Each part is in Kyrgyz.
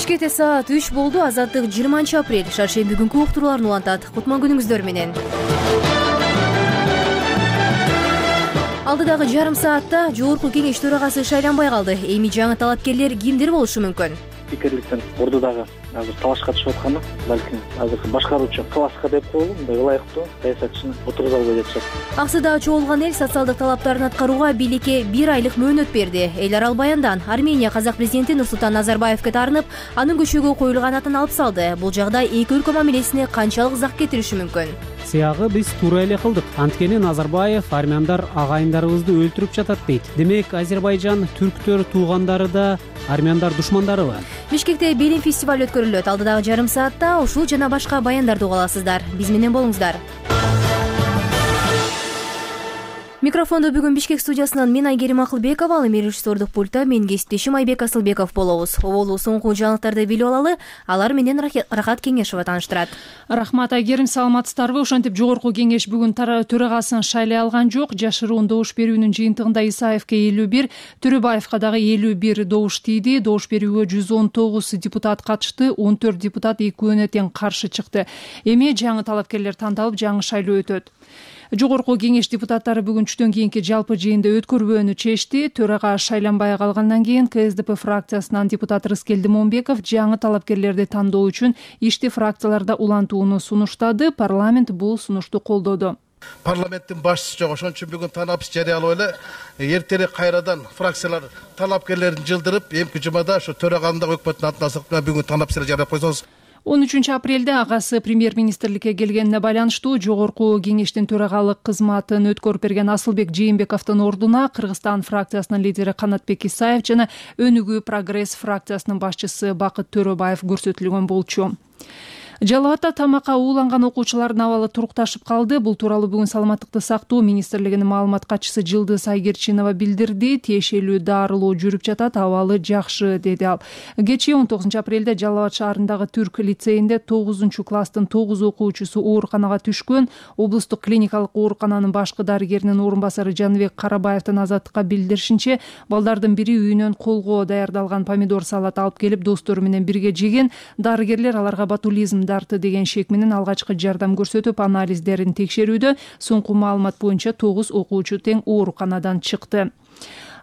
Бишкекте саат 3 болду. Азаттык 20-апрель шаршемби күнкү уктурууларын улантат. Кутман күнүңүздөр менен. Алдыдагы жарым саатта жогорку кеңеш төрагасы шайланбай калды. Эми жаңы талапкерлер кимдер болушу мүмкүн? Пикирликтен ордудагы азыр талашка түшүп атканы, балким азыр башкаруучу класска деп коелу, мындай ылайыктуу саясатчыны отургуза албай жатышат. Аксыда чогулган эл социалдык талаптарын аткарууга бийликке 1 айлык мөөнөт берди. Эл арал баяндан Армения казак президенти Нурсултан Назарбаевке таарынып, анын көчөгө коюлган атын алып салды. Бул жагдай эки өлкө мамилесине канчалык зак кетириши мүмкүн? Сыягы биз туура эле кылдык. Анткени Назарбаев армяндар агайындарыбызды өлтүрүп жатат дейт. Демек Азербайжан түрктөр туугандары да армяндар душмандарыбы? Бишкекте Белин фестиваль өткөрүлөт. Алдыдагы жарым саатта ушул жана башка баяндарды уга аласыздар. Биз менен болуңуздар. Микрофондо бүгүн Бишкек студиясынан мен Айгерим Акылбекова, ал эми режиссердук пультта мен кесиптешим Айбек Асылбеков болобуз. Оболу соңку жаңылыктарды билип алалы, алар менен Рахат Кеңешова тааныштырат. Рахмат Айгерим, саламатсыздарбы? Ошентип жогорку кеңеш бүгүн төрагасын шайлай алган жок. Жашыруун добуш берүүнүн жыйынтыгында Исаевке 51, Төрөбаевка дагы 51 добуш тийди. Добуш берүүгө 119 депутат катышты, 14 депутат экөөнө тең каршы чыкты. Эми жаңы талапкерлер тандалып, жаңы шайлоо өтөт. Жогорку кеңеш депутаттары бүгүн түштөн кийинки жалпы жыйынды өткөрбөөнү чечти. Төрага шайланбай калгандан кийин КСДП фракциясынан депутат Рыскелди Момбеков жаңы талапкерлерди тандоо үчүн ишти фракцияларда улантууну сунуштады. Парламент бул сунушту колдоду. Парламенттин башчысы жок, ошон үчүн бүгүн танапыс жарыялап эле эртерээк кайрадан фракциялар талапкерлерин жылдырып, эмки жумада ошо төраганын өкмөттүн атын алсак, бүгүн танапыс жарыялап койсоңуз. 13 апрелде агасы премьер-министрликке келгенине байланыштуу жогорку кеңештин төрагалык кызматын өткөрүп берген Асылбек Жээнбековдун ордуна Кыргызстан фракциясынын лидери Канатбек Исаев жана Өнүгүү Прогресс фракциясынын башчысы Бакыт Төрөбаев көрсөтүлгөн болчу. Жалал Абадта тамакка ууланган окуучулардын абалы турукташып калды. Бул тууралуу бүгүн Саламаттыкты сактоо министрлигинин маалымат катчысы Жылдыз Айгерчинова билдирди. Тиешелүү дарылоо жүрүп жатат, абалы жакшы, деди ал. Кечээ 19 апрелде Жалал Абад шаарындагы Түрк лицейинде 9-класстын 9 окуучусу ооруканага түшкөн. Облустук клиникалык оорукананын башкы дарыгеринин орун басары Жаныбек Карабаевдин Азаттыкка билдиришинче, балдардын бири үйүнөн колго даярдалган помидор салат алып келип достору менен бирге жеген. Дарыгерлер аларга ботулизм дарты деген шек менен алгачкы жардам көрсөтүп, анализдерин текшерүүдө. Соңку маалымат боюнча 9 окуучу тең ооруканадан чыкты.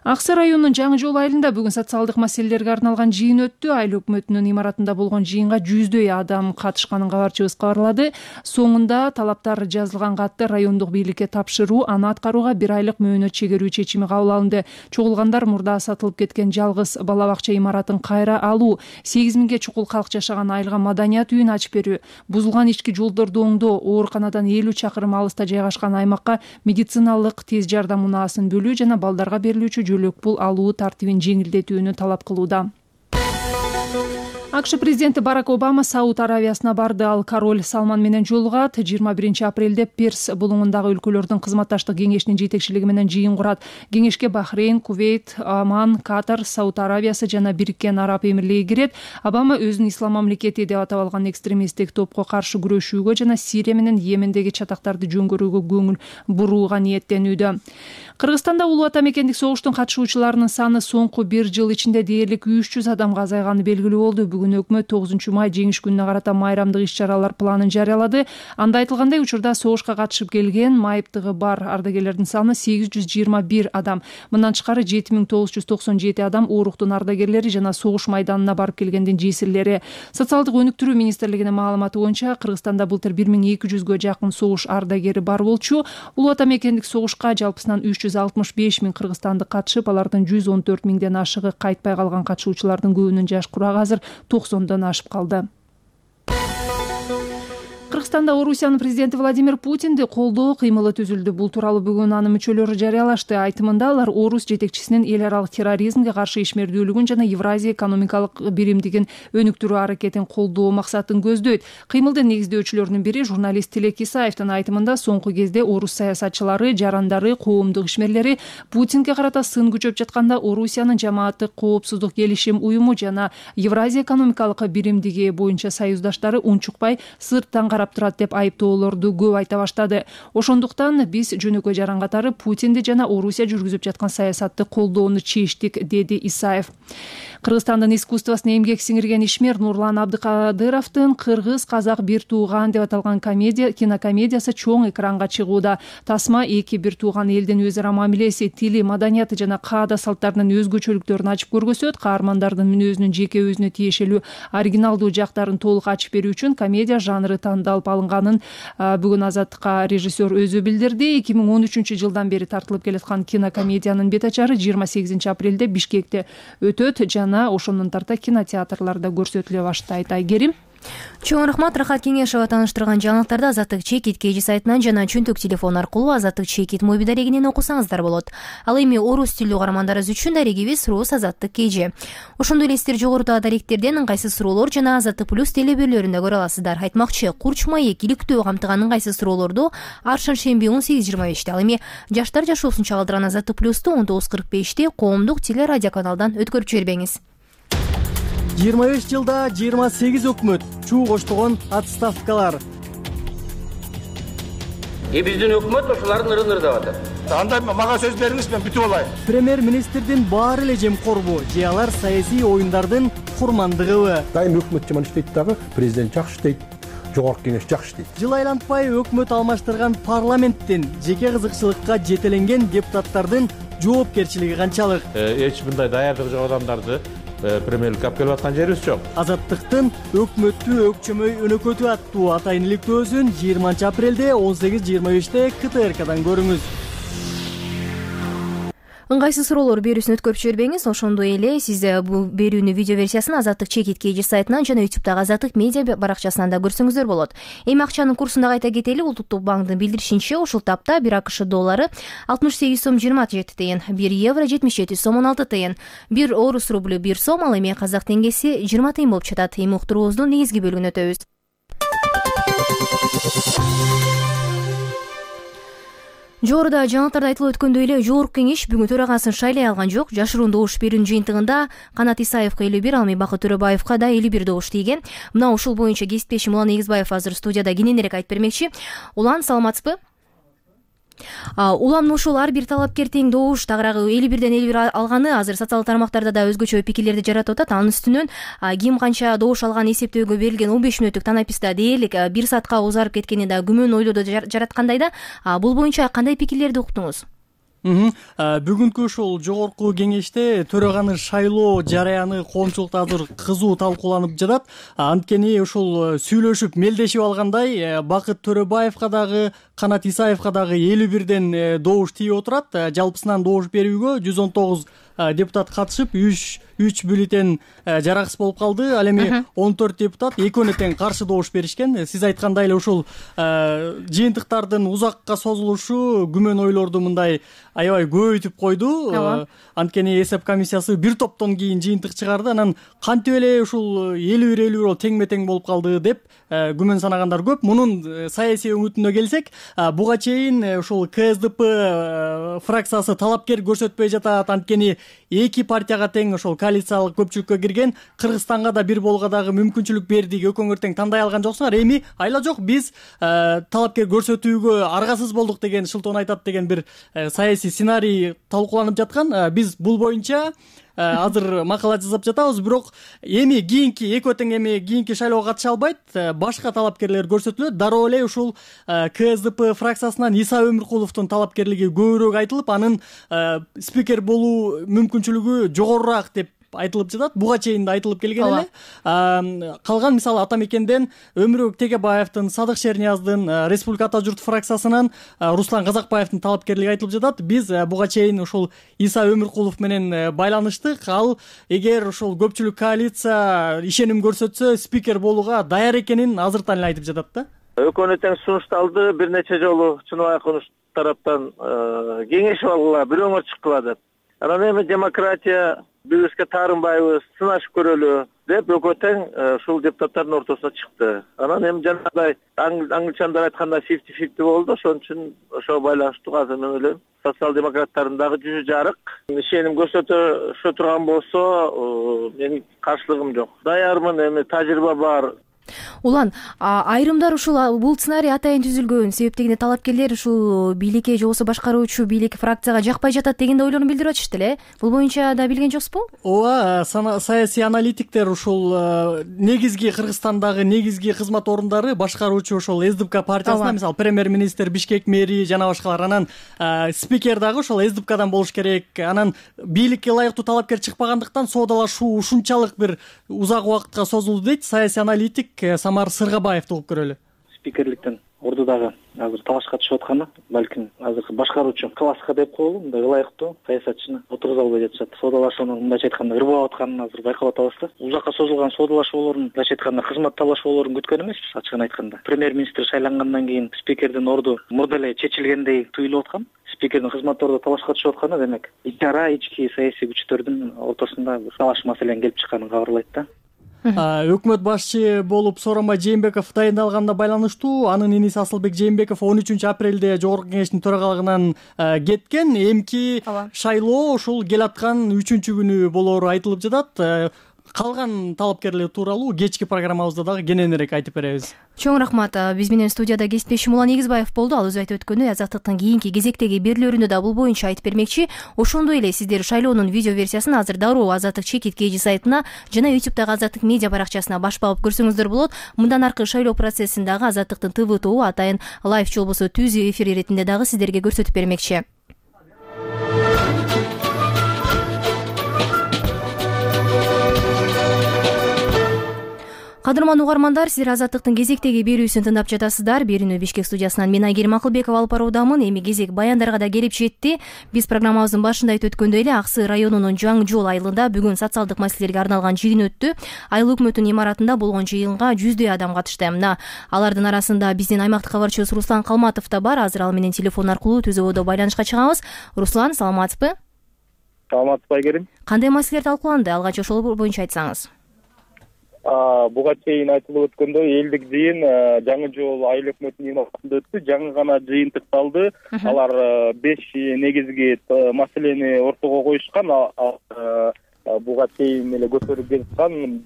Аксы районунун Жаңы жол айылында бүгүн социалдык маселелерге арналган жыйын өттү. Айыл өкмөтүнүн имаратында болгон жыйынга 100дөй адам катышканын кабарчыбыз кабарлады. Соңунда талаптар жазылган катты райондук бийликке тапшыруу, аны аткарууга 1 айлык мөөнөт чегерүү чечими кабыл алынды. Чогулгандар мурда сатылып кеткен жалгыз бала бакча имаратын кайра алуу, 8000ге чукул калк жашаган айылга маданият үйүн ачып берүү, бузулган ички жолдорду оңдоо, ооруканадан 50 чакырым алыста жайгашкан аймакка медициналык тез жардам унаасын бөлүү жана балдарга берилүүчү жөлөк пул алуу тартибин жеңилдетүүнү талап кылууда. АКШ президенти Барак Обама Сауд Аравиясына барды. Ал король Салман менен жолугат. 21 апрелде Перс булуңундагы өлкөлөрдүн кызматташтык кеңешинин жетекчилиги менен жыйын курат. Кеңешке Бахрейн, Кувейт, Оман, Катар, Сауд Аравиясы жана Бириккен Араб Эмирлиги кирет. Обама өзүн ислам мамлекети деп атап алган экстремисттик топко каршы күрөшүүгө жана Сирия менен Йемендеги чатактарды жөнгөрүүгө көңүл бурууга ниеттенүүдө. Кыргызстанда улуу ата мекендик согуштун катышуучуларынын саны соңку 1 жыл ичинде дээрлик 300 адамга азайганы белгилүү болду. Бүгүн өкмөт 9 май жеңиш күнүнө карата майрамдык иш-чаралар планын жарыялады. Анда айтылгандай, учурда согушка катышып келген майыптыгы бар ардагерлердин саны 821 адам. Мындан тышкары 7997 адам ооруктун ардагерлери жана согуш майданына барып келгендин жесирлери. Социалдык өнүктүрүү министрлигинин маалыматы боюнча Кыргызстанда былтыр 1200гө жакын согуш ардагери бар болчу. Улуу ата мекендик согушка жалпысынан 365 миң кыргызстандык катышып, алардын 114 миңден ашыгы кайтпай калган катышуучулардын көбүнүн жаш курагы азыр 90дан ашып калды. Кыргызстанда Орусиянын президенти Владимир Путинди колдоо кыймылы түзүлдү. Бул тууралуу бүгүн анын мүчөлөрү жарыялашты. Айтымында алар Орус жетекчисинин эл аралык терроризмге каршы ишмердүүлүгүн жана Евразия экономикалык биримдигин өнүктүрүү аракетин колдоо максатын көздөйт. Кыймылдын негиздөөчүлөрүнүн бири журналист Тилек Исаевдин айтымында соңку кезде орус саясатчылары, жарандары, коомдук ишмерлери Путинге карата сын күчөп жатканда Орусиянын жамааттык коопсуздук келишим уюму жана Евразия экономикалык биримдиги боюнча союздаштары унчукпай сырттан карап турат деп айыптоолорду көп айта баштады. Ошондуктан биз жөнөкөй жаран катары Путинди жана Орусия жүргүзүп жаткан саясатты колдоону чечтик, деди Исаев. Кыргызстандын искусствосуна эмгек сиңирген ишмер Нурлан Абдыкадыровдун Кыргыз казак бир тууган деп аталган кинокомедиясы чоң экранга чыгууда. Тасма эки бир тууган элдин өз ара мамилеси, тили, маданияты жана каада салттарынын өзгөчөлүктөрүн ачып көргөзөт. Каармандардын мүнөзүнүн жеке өзүнө тиешелүү оригиналдуу жактарын толук ачып берүү үчүн комедия жанры тандалып алынганын бүгүн Азаттыкка режиссер өзү билдирди. 2013 жылдан бери тартылып келаткан кинокомедиянын бет ачары 28 апрелде Бишкекте өтөт жана ошондон тарта кинотеатрларда көрсөтүлө баштайт. Айгерим. Чоң рахмат. Рахат Кеңешова тааныштырган жаңылыктарды Азаттык Чекит KG сайтынан жана чөнтөк телефон аркылуу Азаттык Чекит моби дарегинен окусаңыздар болот. Ал эми орус тилдүү каармандарыбыз үчүн дарегибиз Рус Азаттык KG. Ошондой эле сиздер жогорудагы даректерден ыңгайсыз суроолор жана Азаттык Плюс телебөрлөрүндө көрө аласыздар. Айтмакчы, Курч маек иликтөө камтыган ыңгайсыз суроолорду ар шаршемби 18:25. Ал эми жаштар жашоосун чагылдырган Азаттык Плюсту 19:45 коомдук телерадио каналдан өткөрүп жибербеңиз. 25 жылда 28 өкмөт чуу коштогон отставкалар. Биздин өкмөт ошолардын ырын ырдап атат. Андай мага сөз бериңиз, мен бүтүп алайын. Премьер-министрдин баары эле жемкорбу, же алар саясий оюндардын курмандыгыбы? Дайым өкмөт жаман иштейт дагы, президент жакшы иштейт, жогорку кеңеш жакшы иштейт. Жыл айлантпай өкмөт алмаштырган парламенттин жеке кызыкчылыкка жетеленген депутаттардын жоопкерчилиги канчалык? Эч мындай даярдыгы жок адамдарды премьерликке алып келип аткан жерибиз жок. Азаттыктын өкмөттү өкчөмөй өнөкөтүү аттуу атайын иликтөөсүн 20 апрелде 18:25 КТРКдан көрүңүз. Ыңгайсыз суроолор берүүсүн өткөрүп жибербеңиз. Ошондой эле сиз бул берүүнү видео версиясын Азаттык Чекит KG сайтынан жана YouTube'дагы Азаттык медиа баракчасынан да көрсөңүздөр болот. Эми акчанын курсун да кайта кетели. Улуттук банктын билдиришинче, ушул тапта 1 АКШ доллары 68 сом 27 тыйын, 1 евро 77 сом 16 тыйын, 1 орус рублю 1 сом, ал эми казак теңгеси 20 тыйын болуп жатат. Эми уктуруубуздун негизги бөлүгүнө өтөбүз. Жогоруда жаңылыктарда айтылып өткөндөй эле жогорку кеңеш бүгүн төрагасын шайлай алган жок. Жашыруун добуш берүүнүн жыйынтыгында Канат Исаевка 51, ал эми Бакыт Төрөбаевка да 51 добуш тийген. Мына ушул боюнча кесиптешим Улан Эгизбаев азыр студияда кененирээк айтып бермекчи. Улан, саламатсызбы? Улам, ушул ар бир талапкер тең добуш тагыраагы 51ден 51 алганы азыр социалдык тармактарда да өзгөчө пикирлерди жаратып атат. Анын үстүнөн ким канча добуш алган эсептөөгө берилген 15 мүнөттүк танаписта дээрлик 1 саатка узарып кеткени да күмөн ойлорду жараткандай да. Бул боюнча кандай пикирлерди уктуңуз? Бүгүнкү ушул жогорку кеңеште төраганы шайлоо жараяны коомчулукта азыр кызуу талкууланып жатат. Анткени ушул сүйлөшүп мелдешип алгандай Бакыт Төрөбаевка дагы Канат Исаевка дагы 51ден добуш тийип отурат. Жалпысынан добуш берүүгө 119 депутат катышып 3 бюллетен жараксыз болуп калды. Ал эми 14 депутат экөөнө тең каршы добуш беришкен. Сиз айткандай эле ушул жыйынтыктардын узакка созулушу күмөн ойлорду мындай аябай көбөйтүп койду. Анткени эсеп комиссиясы бир топтон кийин жыйынтык чыгарды. Анан кантип эле ушул 51 теңме-тең болуп калды деп күмөн санагандар көп. Мунун саясий өңүтүнө келсек, буга чейин ушул КСДП фракциясы талапкер көрсөтпөй жатат. Анткени эки партияга тең ошол коалициялык көпчүлүккө кирген. Кыргызстанга да бир болууга дагы мүмкүнчүлүк бердик. Экөөңөр тең тандай алган жоксуңар. Эми айла жок, биз талапкер көрсөтүүгө аргасыз болдук деген шылтоон айтат деген бир саясий сценарий талкууланып жаткан. Биз бул боюнча азыр макала жазып жатабыз, бирок эми экөө тең эми кийинки шайлоого катыша албайт. Башка талапкерлер көрсөтүлөт. Дароо эле ушул КСДП фракциясынан Иса Өмүркуловдун талапкерлиги көбүрөөк айтылып, анын спикер болуу мүмкүнчүлүгү жогорураак деп айтылып жатат. Буга чейин да айтылып келген эле. Калган мисалы Ата Мекенден Өмүрбек Тегебаевдин, Садык Шернияздын, Республика Ата журт фракциясынын Руслан Казакбаевдин талапкерлиги айтылып жатат. Биз буга чейин ушул Иса Өмүркулов менен байланыштык. Ал эгер ушул көпчүлүк коалиция ишеним көрсөтсө, спикер болууга даяр экенин азыртан эле айтып жатат да. Экөөнө тең сунушталды, бир нече жолу Чыныбай Акунов тараптан кеңешип алгыла, бирөөңөр чыккыла деп. Анан эми демократия бизге таарынбайбыз, сынашып көрөлү деп экөө тең ушул депутаттардын ортосуна чыкты. Анан эми жанагындай англичандар айткандай 50-50 болду. Ошон үчүн ошого байланыштуу азыр мен ойлойм социал-демократтардын дагы жүзү жарык. Ишеним көрсөтө турган болсо, менин каршылыгым жок. Даярмын, эми тажрыйба бар. Улан, айрымдар ушул бул сценарий атайын түзүлгөн себептегине талапкерлер ушул бийликке же болбосо башкаруучу бийлик фракцияга жакпай жатат дегендей ойлорун билдирип атышты эле. Бул боюнча да билген жоксузбу? ооба, саясий аналитиктер ушул негизги Кыргызстандагы негизги кызмат орундары башкаруучу ошол СДПК партиясына, мисалы премьер-министр, Бишкек мэри жана башкалар, анан спикер дагы ошол СДПКдан болуш керек. Анан бийликке ылайыктуу талапкер чыкпагандыктан соодалашуу ушунчалык бир узак убакытка созулду дейт саясий аналитик Самар Сыргабаевди угуп көрөлү. Спикерликтен ордудагы азыр талашка түшүп атканы балким азыркы башкаруучу класска деп коелу, мындай ылайыктуу саясатчыны отургуза албай жатышат. Соодалашуунун мындайча айтканда ырбап атканын азыр байкап атабыз да. Узакка созулган соодалашуулордун мындайча айтканда кызмат талашуулорун күткөн эмеспиз, ачыгын айтканда. Премьер-министр шайлангандан кийин спикердин орду мурда эле чечилгендей туюлуп аткан. Спикердин кызматы ордуда талашка түшүп атканы демек ички ара ички саясий күчтөрдүн ортосунда талаш маселенин келип чыкканын кабарлайт да. Өкмөт башчы болуп Сооронбай Жээнбеков дайындалганына байланыштуу анын иниси Асылбек Жээнбеков 13-апрелде жогорку кеңештин төрагалыгынан кеткен. Эмки шайлоо ушул келаткан 3-күнү болоору айтылып жатат. Калган талапкерлер тууралуу кечки программабызда дагы кененирээк айтып беребиз. Чоң рахмат. Биз менен студияда кесиптешим Улан Эгизбаев болду. Ал өзү айтып өткөндөй, Азаттыктын кийинки кезектеги берүүлөрүндө да бул боюнча айтып бермекчи. Ошондой эле сиздер шайлоонун видео версиясын азыр дароо Азаттык чекит KG сайтына жана YouTube'дагы Азаттык медиа баракчасына баш багып көрсөңүздөр болот. Мындан аркы шайлоо процессин дагы Азаттыктын ТВ тобу атайын лайв же болбосо түз эфир иретинде дагы сиздерге көрсөтүп бермекчи. Кадырман угармандар, сиздер Азаттыктын кезектеги берүүсүн тыңдап жатасыздар. Берүүнү Бишкек студиясынан мен Айгерим Акылбекова алып баруудамын. Эми кезек баяндарга да келип жетти. Биз программабыздын башында айтып өткөндөй эле Аксы районунун Жаңы жол айылында бүгүн социалдык маселелерге арналган жыйын өттү. Айыл өкмөтүнүн имаратында болгон жыйынга 100дөй адам катышты. Мына алардын арасында биздин аймактык кабарчыбыз Руслан Калматов да бар. Азыр ал менен телефон аркылуу түз ободо байланышка чыгабыз. Руслан, саламатсызбы? Саламатсызбы, Айгерим. Кандай маселелер талкууланды? Алгач ошол боюнча айтсаңыз. Буга чейин айтылып өткөндөй элдик жыйын Жаңы жол айыл өкмөтүнүн имаратында өттү. Жаңы гана жыйын тыкталды. Алар 5 негизги маселени ортого коюшкан. Буга чейин эле көтөрүп жаткан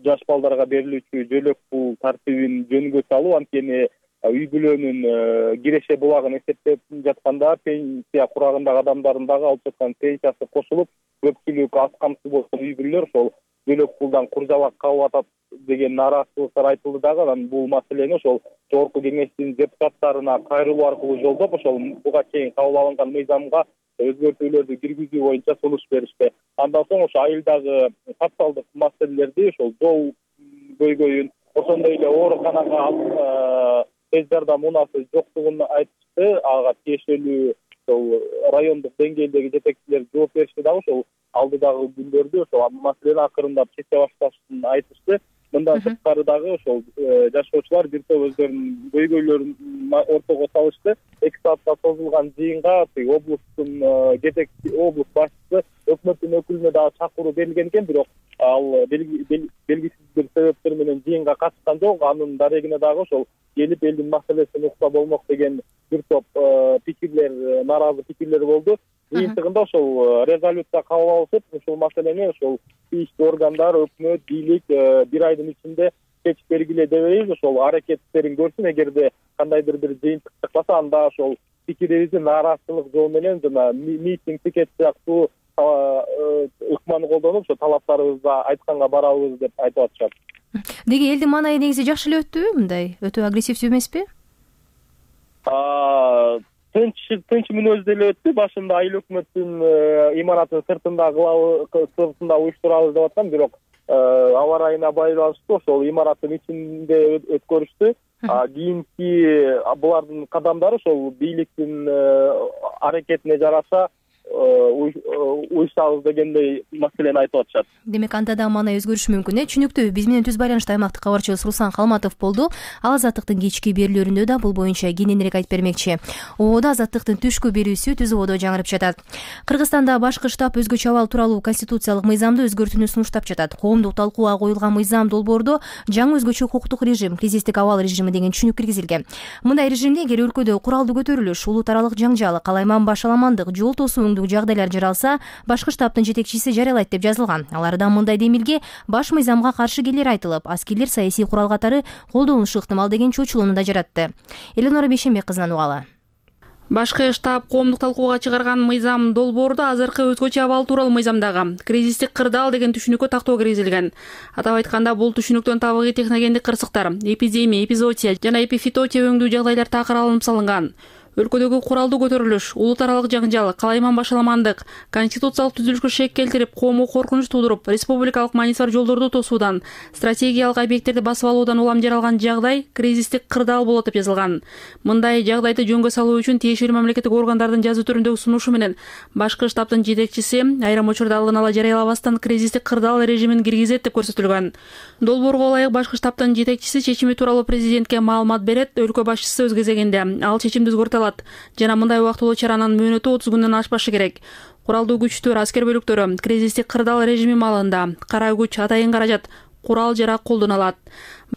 жаш балдарга берилүүчү жөлөк пул тартибин жөнгө салуу, анткени үй бүлөнүн киреше булагын эсептеп жатканда пенсия курагындагы адамдардын дагы алып жаткан пенсиясы кошулуп, көпчүлүк аз камсыз болгон үй бүлөлөр ошол жөлөк пулдан куржабак калып атат деген нааразычылыктар айтылды дагы. Анан бул маселени ошол жогорку кеңештин депутаттарына кайрылуу аркылуу жолдоп, ошол буга чейин кабыл алынган мыйзамга өзгөртүүлөрдү киргизүү боюнча сунуш беришти. Андан соң ошо айылдагы социалдык маселелерди, ошол жол көйгөйүн, ошондой эле ооруканага тез жардам унаасы жоктугун айтышты. Ага тиешелүү райондук деңгээлдеги жетекчилер жооп беришти дагы ошол алдыдагы күндөрдү ошол маселени акырындап чече башташын айтышты. Мындан тышкары дагы ошол жашоочулар бир топ өздөрүнүн көйгөйлөрүн ортого салышты. 2 саатка созулган жыйынга облустун жетекчи облус башчысы өкмөттүн өкүлүнө дагы чакыруу берилген экен, бирок ал белгисиз бир себептер менен жыйынга катышкан жок. Анын дарегине дагы ошол келип элдин маселесин укса болмок деген бир топ пикирлер, нааразы пикирлер болду. Жыйынтыгында ошол резолюция кабыл алышып, ушул маселени ошол тийиштүү органдар, өкмөт, бийлик бир айдын ичинде чечип бергиле дебейбиз. Ошол аракеттерин көрсүн. Эгерде кандайдыр бир жыйынтык чыкпаса, анда ошол пикирибизди нааразычылык жол менен жана митинг, пикет сыяктуу ыкманы колдонуп, ошо талаптарыбызды айтканга барабыз деп айтып атышат. Деги элдин маанайы негизи жакшы эле өттүбү? Мындай өтө агрессивдүү эмеспи? Тынч мүнөздө эле өттү. Башында айыл өкмөттүн имаратынын сыртында уюштурабыз деп аткан, бирок аба ырайына байланыштуу ошол имараттын ичинде өткөрүштү. Кийинки булардын кадамдары ошол бийликтин аракетине жараша уюшабыз дегендей маселени айтып атышат. Демек анда да маанай өзгөрүшү мүмкүн. Түнүктүү биз менен түз байланышта аймактык кабарчыбыз Руслан Калматов болду. Ал Азаттыктын кечки берүүлөрүндө да бул боюнча кененирээк айтып бермекчи. Ободо Азаттыктын түшкү берүүсү түз ободо жаңырып жатат. Кыргызстанда башкы штаб өзгөчө абал тууралуу конституциялык мыйзамды өзгөртүүнү сунуштап жатат. Коомдук талкууга коюлган мыйзам долбоордо жаңы өзгөчө укуктук режим, кризистик абал режими деген түшүнүк киргизилген. Мындай режимде эгер өлкөдө куралдуу көтөрүлүш, улут аралык жаңжал, калайман башаламандык, жол тосуу көңүлдүү жагдайлар жаралса, башкы штабтын жетекчиси жарыялайт деп жазылган. Аларда мындай демилге баш мыйзамга каршы келери айтылып, аскерлер саясий курал катары колдонулушу ыктымал деген чочулууну да жаратты. Эленора Бейшенбек кызынан угалы. Башкы штаб коомдук талкууга чыгарган мыйзам долбоордо азыркы өзгөчө абал тууралуу мыйзамдагы кризистик кырдаал деген түшүнүккө тактоо киргизилген. Атап айтканда, бул түшүнүктөн табигый техногендик кырсыктар, эпидемия, эпизоотия жана эпифитотия өңдүү жагдайлар такыр алынып салынган. Өлкөдөгү куралдуу көтөрүлүш, улут аралык жаңжал, калайман башаламандык, конституциялык түзүлүшкө шек келтирип, коомго коркунуч туудуруп, республикалык маңизи бар жолдорду тосуудан, стратегиялык объекттерди басып алуудан улам жаралган жагдай кризистик кырдаал болот деп жазылган. Мындай жагдайды жөнгө салуу үчүн тиешелүү мамлекеттик органдардын жазуу түрүндөгү сунушу менен башкы штабтын жетекчиси айрым учурда алдын ала жарыялабастан кризистик кырдаал режимин киргизет деп көрсөтүлгөн. Долбоорго ылайык башкы штабтын жетекчиси чечими тууралуу президентке маалымат берет, өлкө башчысы өз кезегинде ал чечимди өзгөртө алат. Жана мындай убактылуу чаранын мөөнөтү 30 күндөн ашпашы керек. Куралдуу күчтөр, аскер бөлүктөрү кризистик кырдаал режими маалында кара күч, атайын каражат, курал жарак колдоно алат.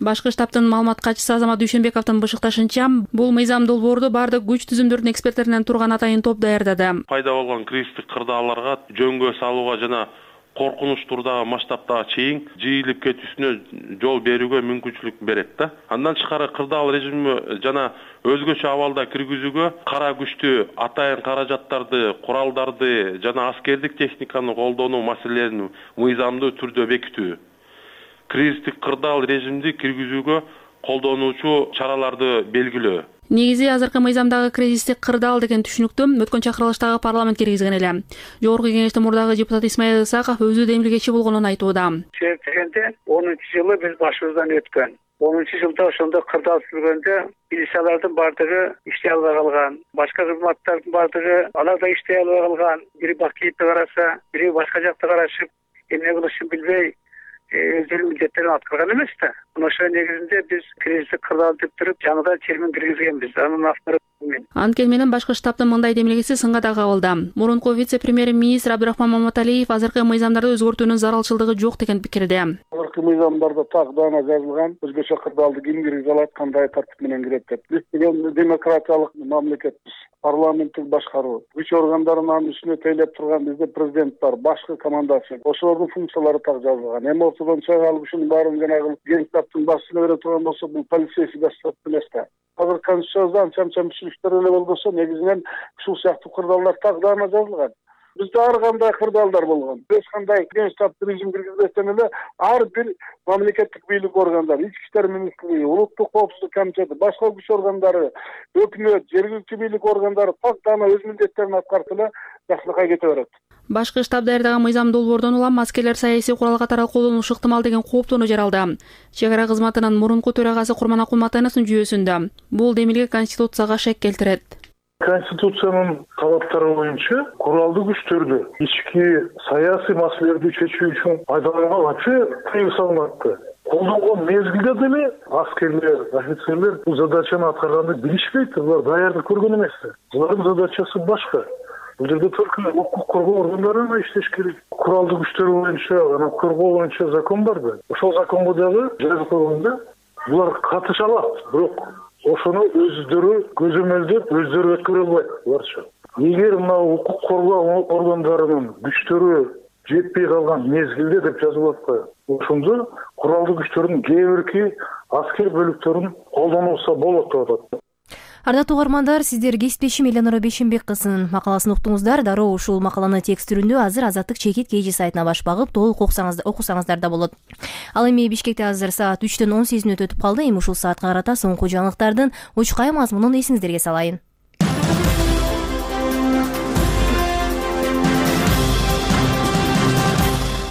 Башкы штабтын маалымат катчысы Азамат Дүйшөнбековдун бышыкташынча, бул мыйзам долбоорду бардык күч түзүмдөрдүн эксперттеринен турган атайын топ даярдады. Пайда болгон кризистик кырдаалдарга жөнгө салууга жана коркунуч турдагы масштабтагы чейин жыйылып кетүүсүнө жол берүүгө мүмкүнчүлүк берет да. Андан тышкары кырдаал режими жана өзгөчө абалда киргизүүгө кара күчтү, атайын каражаттарды, куралдарды жана аскердик техниканы колдонуу маселелерин мыйзамдуу түрдө бекитүү, кризистик кырдаал режимди киргизүүгө колдонуучу чараларды белгилөө. Негизи азыркы мыйзамдагы кризистик кырдаал деген түшүнүктү өткөн чакырылыштагы парламент киргизген эле. Жогорку кеңештин мурдагы депутаты Исмаил Исаков өзү демилгечи болгонун айтууда. Себеп дегенде 10-жылы биз башыбыздан өткөн. 10-жылда ошондо кырдаал түзүлгөндө милициялардын бардыгы иштей албай калган, башка кызматтардын бардыгы алар да иштей албай калган. Бири Бакиевди караса, бири башка жакты карашып, эмне кылышын билбей өздөрүнүн милдеттерин аткарган эмес да. Ошол негизинде биз кризистик кырдаал деп туруп жаңыдан термин киргизгенбиз. Анын автору мен. Анткени менен башкы штабтын мындай демилгеси сынга да кабылды. Мурунку вице-премьер-министр Абдурахман Маматалиев азыркы мыйзамдарды өзгөртүүнүн зарылчылыгы жок деген пикирде. Азыркы мыйзамдарда так даана жазылган, өзгөчө кырдаалды ким киргизе алат, кандай тартип менен кирет деп. Биз деген демократиялык мамлекетпиз. Парламенттик башкаруу, күч органдарынын үстүнө тейлеп турган бизде президент бар, башкы командасы. Ошолордун функциялары так жазылган. Эми ортодон чыга алып ушунун баарын жанагы генштабтын башчысына бере турган болсо, бул полицейский государство эмес да. Азыр конституцияда анча-мынча эле болбосо, негизинен ушул сыяктуу кырдаалдар так даана жазылган. Бизде ар кандай кырдаалдар болгон. Эч кандай генштабтын режим киргизбестен эле ар бир мамлекеттик бийлик органдары, ички иштер министрлиги, улуттук коопсуздук комитети, башка күч органдары, өкмөт, жергиликтүү бийлик органдары так даана өз милдеттерин аткарып эле жакшылыкка кете берет. Башкы штаб даярдаган мыйзам долбоордон улам аскерлер саясий курал катары колдонулушу ыктымал деген кооптоону жаралды. Чек ара кызматынын мурунку төрагасы Курман Акулматановдун жүйөсүндө бул демилге конституцияга шек келтирет. Конституциянын талаптары боюнча куралдуу күчтөрдү ички саясий маселелерди чечүү үчүн пайдаланууга вообще тыйым салынат. Колдонгон мезгилде деле аскерлер, офицерлер бул задачаны аткарганды билишпейт, булар даярдык көргөн эмес. Булардын задачасы башка. Бул жерде только укук коргоо органдары иштеш керек. Куралдуу күчтөр боюнча, анан коргоо боюнча закон бар да. Ошол законго дагы жазып койгондо булар катыша алат, бирок ошону өздөрү көзөмөлдөп, өздөрү өткөрө албайт буларчы. Эгер мына укук коргоо органдарынын күчтөрү жетпей калган мезгилде деп жазылып атпайбы, ошондо куралдуу күчтөрдүн кээ бирки аскер бөлүктөрүн колдонуулса болот деп атат. Ардактуу угармандар, сиздер кесиптешим Эленора Бейшенбек кызынын макаласын уктуңуздар. Дароо ушул макаланы текст түрүндө азыр Азаттык чекит KG сайтына баш багып толук окусаңыздар да болот. Ал эми Бишкекте азыр саат 3-төн 18 мүнөт өтүп калды. Эми ушул саатка карата соңку жаңылыктардын учкай мазмунун эсиңиздерге салайын.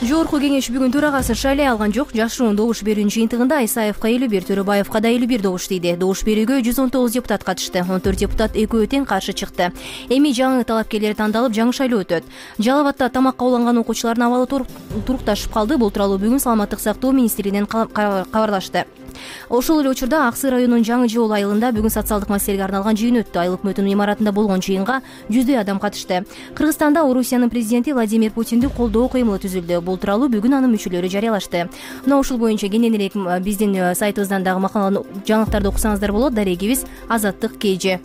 Жогорку кеңеш бүгүн төрагасы шайлай алган жок. Жашыруун добуш берүүнүн жыйынтыгында Исаевка 51, Төрөбаевка да 51 добуш тийди. Добуш берүүгө 119 депутат катышты. 14 депутат экөө тең каршы чыкты. Эми жаңы талапкерлер тандалып, жаңы шайлоо өтөт. Жалал Абадта тамакка уланган окуучулардын абалы турукташып калды. Бул тууралуу бүгүн Саламаттык сактоо министрлигинен кабарлашты. Ошол эле учурда Аксы районунун Жаңы Жол айылында бүгүн социалдык маселеге арналган жыйын өттү. Айыл өкмөтүнүн имаратында болгон жыйынга 100дөй адам катышты. Кыргызстанда Орусиянын президенти Владимир Путинди колдоо кыймылы түзүлдү. Бул тууралуу бүгүн анын мүчөлөрү жарыялашты. Мына ушул боюнча кенен элек биздин сайтыбыздан дагы макаланы жаңылыктарды окусаңыздар болот. Дарегибиз Азаттык KG.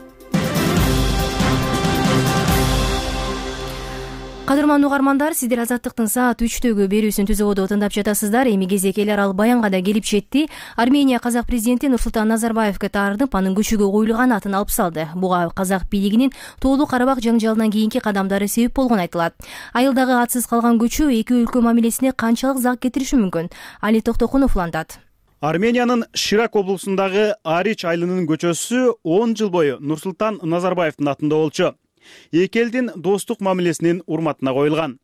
Кадырман угармандар, сиздер Азаттыктын саат 3-төгү берүүсүн түзүүгө тыңдап жатасыздар. Эми кезек Эл Арал Баянга да келип жетти. Армения казак президенти Нурсултан Назарбаевге таарынып, анын көчөгө коюлган атын алып салды. Буга казак бийлигинин Тоолуу Карабак жаңжалынан кийинки кадамдары себеп болгон айтылат. Айылдагы атсыз калган көчө эки өлкө мамилесине канчалык зак кетириши мүмкүн? Али Токтокунов улантат. Армениянын Ширак облусундагы Арич айылынын көчөсү 10 жыл бою Нурсултан Назарбаевдин атында болчу. Эки элдин достук мамилесинин урматына коюлган.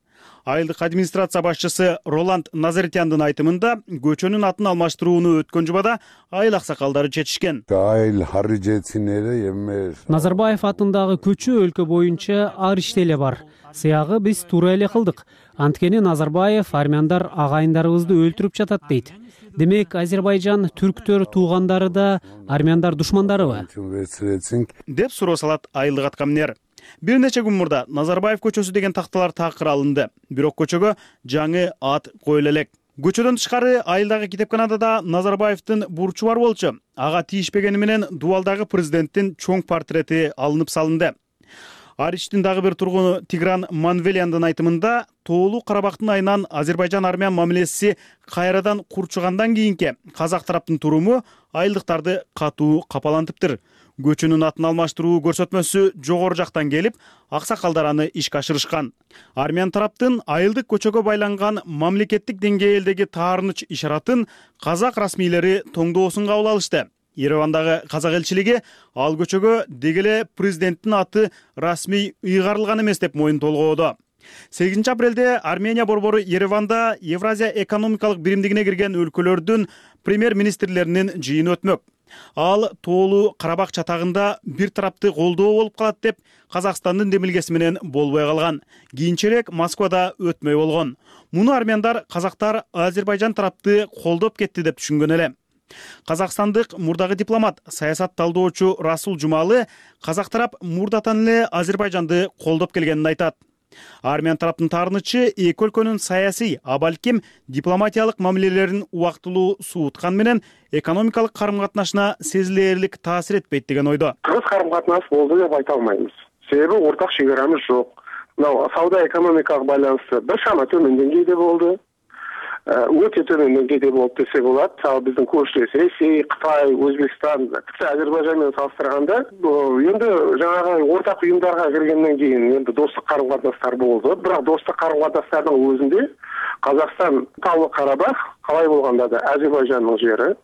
Айылдык администрация башчысы Роланд Назаритяндын айтымында көчөнүн атын алмаштырууну өткөн жумада айыл аксакалдары чечишкен. Назарбаев атындагы көчө өлкө боюнча Аричте эле бар. Сыягы биз туура эле кылдык. Анткени Назарбаев армяндар агайындарыбызды өлтүрүп жатат дейт. Демек, Азербайжан түрктөр туугандары да армяндар душмандарыбы? Деп суроо салат айылдык аткаминер. Бир нече күн мурда Назарбаев көчөсү деген такталар такыр алынды. Бирок көчөгө жаңы ат коюла элек. Көчөдөн тышкары айылдагы китепканада да Назарбаевдин бурчу бар болчу. Ага тийишпегени менен дубалдагы президенттин чоң портрети алынып салынды. Аричтин дагы бир тургуну Тигран Манвелияндын айтымында Тоолуу Карабактын айынан Азербайжан-армян мамилеси кайрадан курчугандан кийинки казак тараптын туруму айылдыктарды катуу капалантыптыр. Көчөнүн атын алмаштыруу көрсөтмөсү жогору жактан келип, аксакалдар аны ишке ашырышкан. Армян тараптын айылдык көчөгө байланган мамлекеттик деңгээлдеги таарыныч ишаратын казак расмийлери тоңдоосун кабыл алышты. Еревандагы казак элчилиги ал көчөгө дегеле президенттин аты расмий ыйгарылган эмес деп моюн толгоодо. 8 апрелде Армения борбору Ереванда Евразия экономикалык биримдигине кирген өлкөлөрдүн премьер-министрлеринин жыйыны өтмөк. Ал Тоолуу Карабак чатагында бир тарапты колдоо болуп калат деп Казакстандын демилгеси менен болбой калган. Кийинчерээк Москвада өтмөй болгон. Муну армяндар казактар Азербайжан тарапты колдоп кетти деп түшүнгөн эле. Казакстандык мурдагы дипломат, саясат талдоочу Расул Жумалы казак тарап мурдатан эле Азербайжанды колдоп келгенин айтат. Армян тараптын таарынычы эки өлкөнүн саясий, а балким дипломатиялык мамилелерин убактылуу сууткан менен экономикалык карым-катнашына сезилерлик таасир этпейт деген ойдо. Кыргыз карым-катнаш болду деп айта албайбыз. Себеби ортак чек арамыз жок. Мына сауда экономикалык байланышты бир шама төмөн деңгейде болду. Өтө төмөн деңгейде болуп десе болот. Ал биздин көршүбүз Ресей, Кытай, Өзбекстан, Азербайжан менен салыштырганда, эми жанагы ортак уюмдарга киргенден кийин эми достук карым-катнаштар болду. Бирок достук карым-катнаштардын өзүндө Казакстан Тоолуу Карабах калай болгондо да Азербайжандын жери,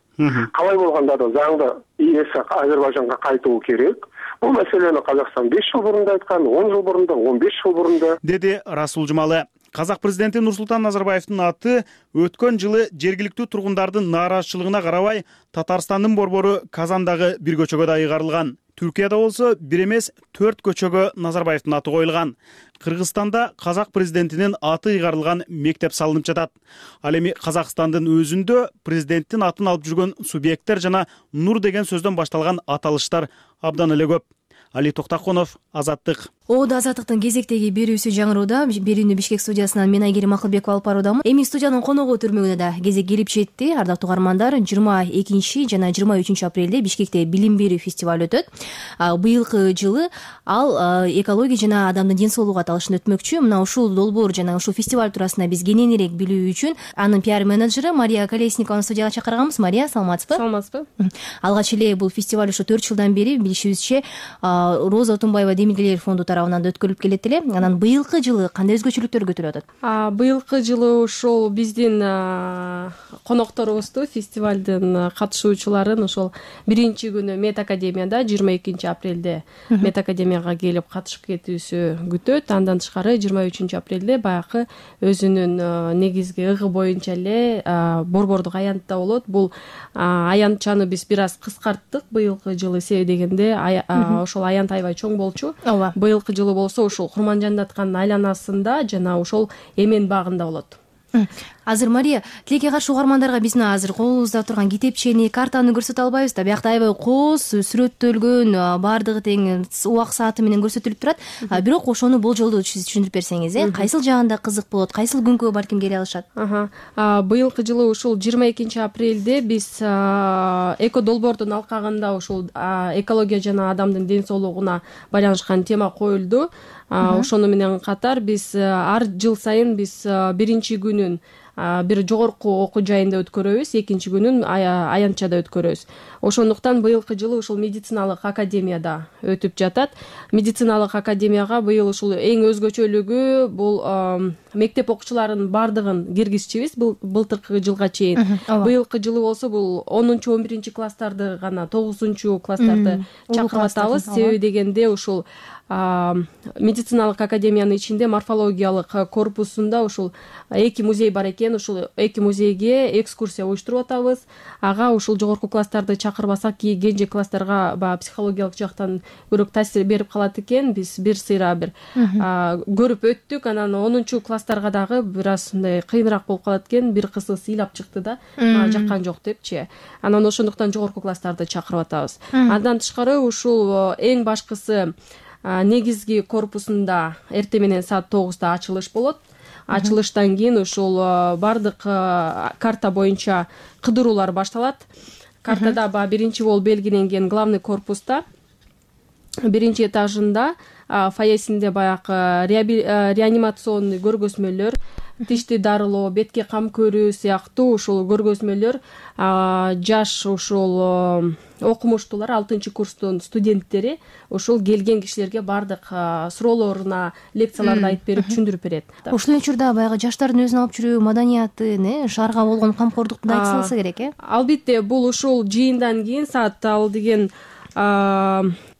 калай болгондо да заңда ээси Азербайжанга кайтуу керек. Бул маселени Казакстан 5 жыл мурун да айткан, 10 жыл мурун да, 15 жыл мурун да, деди Расул Жумалы. Казак президенти Нурсултан Назарбаевдин аты өткөн жылы жергиликтүү тургундардын нааразычылыгына карабай Татарстандын борбору Казандагы бир көчөгө да ыйгарылган. Түркияда болсо бир эмес 4 көчөгө Назарбаевдин аты коюлган. Кыргызстанда казак президентинин аты ыйгарылган мектеп салынып жатат. Ал эми Казакстандын өзүндө президенттин атын алып жүргөн субъекттер жана Нур деген сөздөн башталган аталыштар абдан эле көп. Али Токтокунов, Азаттык. Оодо Азаттыктын кезектеги берүүсү жаңырууда. Берүүнү Бишкек студиясынан мен Айгерим Акылбекова алып баруудамын. Эми студиянын коногу түрмөгүнө да кезек келип жетти. Ардактуу угармандар, 22 жана 23 апрелде Бишкекте билим берүү фестиваль өтөт. Быйылкы жылы ал экология жана адамдын ден соолугу аталышында өтмөкчү. Мына ушул долбоор жана ушул фестиваль туурасында биз кененирээк билүү үчүн анын пиар менеджери Мария Колесникованы студияга чакырганбыз. Мария, саламатсызбы? Саламатсызбы. Алгач эле бул фестиваль ушу 4 жылдан бери билишибизче Роза Отунбаева демилгелер фонду тарабынан өткөрүлүп келет эле. Анан быйылкы жылы кандай өзгөчөлүктөр күтүлүп атат? Быйылкы жылы ошол биздин конокторубузду, фестивалдын катышуучуларын ошол биринчи күнү Мед Академияда 22 апрелде Мед Академияга келип катышып кетүүсү күтөт. Андан тышкары 23 апрелде баягы өзүнүн негизги ыгы боюнча эле борбордук аянтта болот. Бул аянтчаны биз бир аз кыскарттык быйылкы жылы, себеби дегенде ошол аянт аябай чоң болчу. Быйылкы жылы болсо ушул Курманжандатканын айланасында жана ошол Эмен багында болот. Азыр Мария, тилекке каршы угармандарга биз мына азыр колубузда турган китепчени, картаны көрсөтө албайбыз да. Биякта аябай кооз сүрөттөлгөн, баардыгы тең убак сааты менен көрсөтүлүп турат. Бирок ошону болжолдуу сиз түшүндүрүп берсеңиз, кайсыл жагында кызык болот, кайсыл күнгө балким келе алышат? Быйылкы жылы ушул 22 апрелде биз эко долбоордун алкагында ушул экология жана адамдын ден соолугуна байланышкан тема коюлду. ошону менен катар биз ар жыл сайын биз биринчи күнүн бир жогорку окуу жайында өткөрөбүз, экинчи күнүн аянтчада өткөрөбүз. Ошондуктан быйылкы жылы ушул медициналык академияда өтүп жатат. Медициналык академияга быйыл ушул эң өзгөчөлүгү бул мектеп окуучуларынын бардыгын киргизчүбүз былтыркы жылга чейин. Быйылкы жылы болсо бул 10-11 класстарды гана, 9-класстарды чакырып атабыз. Себеби дегенде ушул медициналык академиянын ичинде морфологиялык корпусунда ушул 2 музей бар экен. Ушул 2 музейге экскурсия уюштуруп атабыз. Ага ушул жогорку класстарды чакырбасак, кенже класстарга баягы психологиялык жактан көрөк таасир берип калат экен. Биз бир сыйра бир көрүп өттүк. Анан 10-класстарга дагы бир аз мындай кыйыныраак болуп калат экен. Бир кызы ыйлап чыкты да, жаккан жок депчи. Анан ошондуктан жогорку класстарды чакырып атабыз. Андан тышкары ушул эң башкысы негизги корпусунда эртең менен саат 9-да ачылыш болот. Ачылыштан кийин ушул бардык карта боюнча кыдыруулар башталат. Картада биринчи болуп белгиленген главный корпуста биринчи этажында фойесинде баягы реанимационный көргөзмөлөр, тишти дарылоо, бетке кам көрүү сыяктуу ушул көргөзмөлөр жаш ушул окумуштуулар, 6-курстун студенттери ушул келген кишилерге бардык суроолоруна лекцияларды айтып берип, түшүндүрүп берет. Ошол учурда баягы жаштардын өзүн алып жүрүү маданиятын, шаарга болгон камкордукту да айтып салса керек, Албетте, бул ушул жыйындан кийин саат ал деген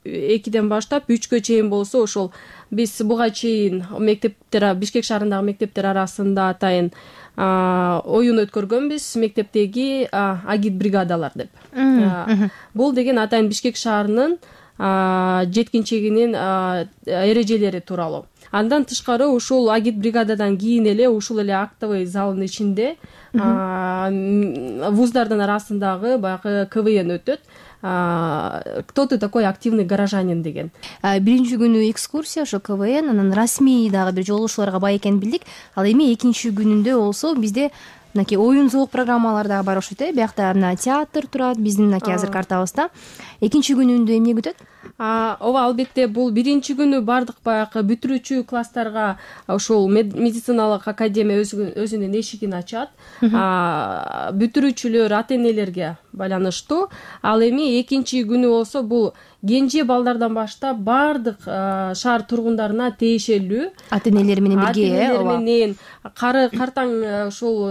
2-ден баштап 3-кө чейин болсо, ошол биз буга чейин мектептер, Бишкек шаарындагы мектептер арасында атайын оюн өткөргөнбүз, мектептеги агит бригадалар деп. Бул деген атайын Бишкек шаарынын жеткинчегинин эрежелери тууралуу. Андан тышкары ушул агит бригададан кийин эле ушул эле актовый залдын ичинде вуздардын арасындагы баягы КВН өтөт. Кто ты такой активный горожанин деген. Биринчи күнү экскурсия, ошо КВН, анан расмий дагы бир жолугушууларга бай экенин билдик. Ал эми экинчи күнүндө болсо бизде мынакей оюн зоок программалар дагы бар окшойт, биякта мына театр турат, биздин мынакей азыр картабызда. Экинчи күнүндө эмне күтөт? Ооба, албетте, бул биринчи күнү бардык баягы бүтүрүүчү класстарга ушул медициналык академия өзүнүн эшигин ачат. Бүтүрүүчүлөр ата-энелерге байланыштуу. Ал эми экинчи күнү болсо бул кенже балдардан баштап бардык шаар тургундарына тиешелүү. Ата-энелер менен бирге, ооба. Ата-энелер менен картаң ушул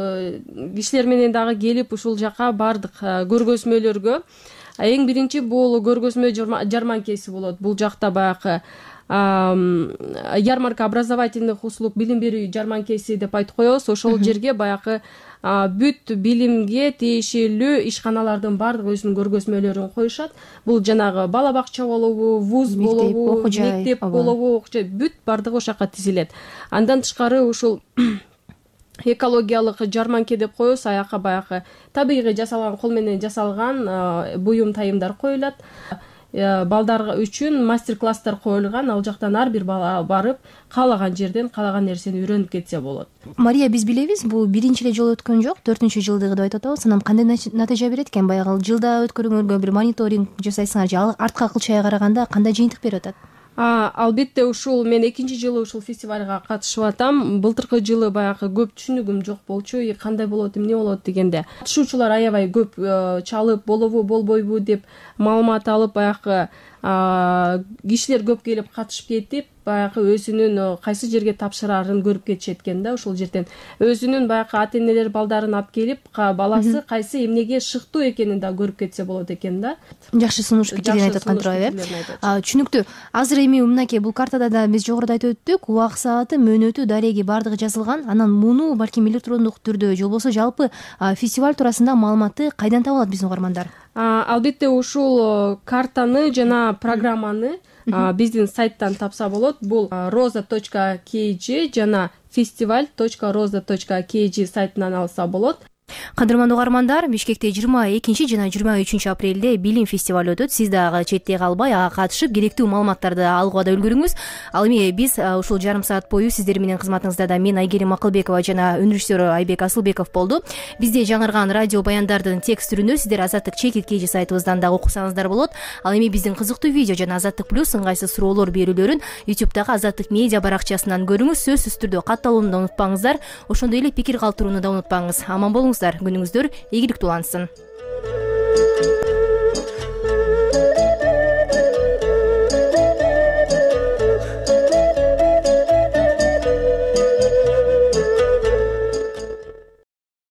кишилер менен дагы келип ушул жака бардык көргөзмөлөргө. Эң биринчи бул көргөзмө жарманкеси болот. Бул жакта баягы ярмарка образовательных услуг, билим берүү жарманкеси деп айтып коебуз. Ошол жерге баягы бүт билимге тиешелүү ишканалардын бардык өзүнүн көргөзмөлөрүн коюшат. Бул жанагы бала бакча болобу, вуз болобу, мектеп болобу, бүт бардыгы ошол жака тизилет. Андан тышкары ушул экологиялык жарманке деп коебуз. Аяка баягы табигый жасалган, кол менен жасалган буюм тайымдар коюлат. Балдар үчүн мастер-класстар коюлган. Ал жактан ар бир бала барып, каалаган жерден каалаган нерсени үйрөнүп кетсе болот. Мария, биз билебиз, бул биринчи эле жолу өткөн жок, 4-жылдыгы деп айтып атабыз. Анан кандай натыйжа берет экен? Баягы жылда өткөргөнгөргө бир мониторинг жасайсыңар же артка кылчайга караганда кандай жыйынтык берип атат? Албетте, ушул мен экинчи жылы ушул фестивалга катышып атам. Былтыркы жылы баягы көп түшүнүгүм жок болчу. Кандай болот, эмне болот дегенде. Катышуучулар аябай көп чалып, болобу, болбойбу деп маалымат алып, баягы кишилер көп келип катышып кетип, баягы өзүнүн кайсы жерге тапшырарын көрүп кетишет экен да. Ошол жерден өзүнүн баягы ата-энелер балдарын алып келип, баласы кайсы эмнеге шыктуу экенин да көрүп кетсе болот экен да. Жакшы сунуш пикирлерин айтып аткан турат, түшүнүктүү. Азыр эми мынакей бул картада да биз жогоруда айтып өттүк, убак сааты, мөөнөтү, дареги бардыгы жазылган. Анан муну балким электрондук түрдө же болбосо жалпы фестиваль туурасында маалыматты кайдан таба алат биздин угармандар? Албетте, ушул картаны жана программаны биздин сайттан тапса болот. Бул roza.kg жана festival.roza.kg сайтынан алса болот. Кадырмандуу угармандар, Бишкекте 22 жана 23 апрелде билим фестивалю өтөт. Сиз дагы четте калбай ага катышып керектүү маалыматтарды алууга да үлгүрүңүз. Ал эми биз ушул жарым саат бою сиздер менен кызматыңызда да мен Айгерим Акылбекова жана өнүрүштөрү Айбек Асылбеков болду. Бизде жаңырган радио баяндардын текст түрүндө сиздер Азаттык чекит KG сайтыбыздан дагы окусаңыздар болот. Ал эми биздин кызыктуу видео жана Азаттык плюс ыңгайсыз суроолор берүүлөрүн YouTube'дагы Азаттык медиа баракчасынан көрүңүз. Сөзсүз түрдө катталууну да унутпаңыздар. Ошондой эле пикир калтырууну да унутпаңыз. Аман болуңуздар, күнүңүздөр ийгиликтүү улансын.